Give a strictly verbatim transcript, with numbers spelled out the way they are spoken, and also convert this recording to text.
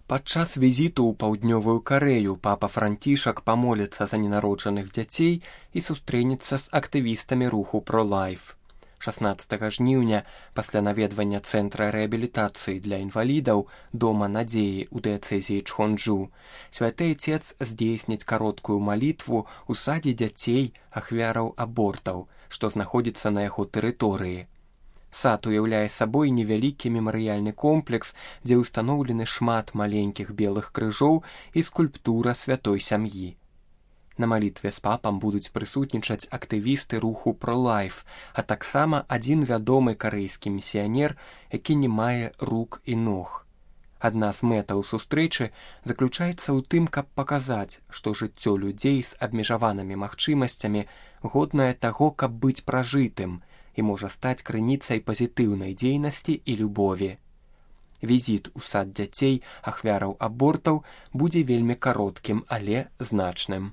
Падчас візіту ў паўднёвую Карэю папа Францішак памоліцца за ненароджаных дзяцей і сустрэнецца з актывістамі руху Pro-Life. шаснаццатага жніўня, пасля наведвання цэнтра рэабілітацыі для інвалідаў Дома надзеі ў дыяцэзіі Чхонджу, святы Отец здзейсніць кароткую малітву ў садзе дзяцей ахвяраў абортаў, што знаходзіцца на яго тэрыторыі. Сад уяўляе сабой невялікі мемарыяльны комплекс, дзе ўстаноўлены шмат маленькіх белых крыжоў і скульптура святой сям'і. На малітве з папам будуць прысутнічаць актывісты руху Pro-Life, а таксама адзін вядомы карэйскі місіянер, які не мае рук і ног. Адна з мэтаў сустрэчы заключаецца ў тым, каб паказаць, што жыццё людзей з абмежаванымі магчымасцямі годнае таго, каб быць пражытым, і можа стаць крыніцай пазітыўнай дзейнасці і любові. Візіт у сад дзяцей ахвяраў абортаў будзе вельмі кароткім, але значным.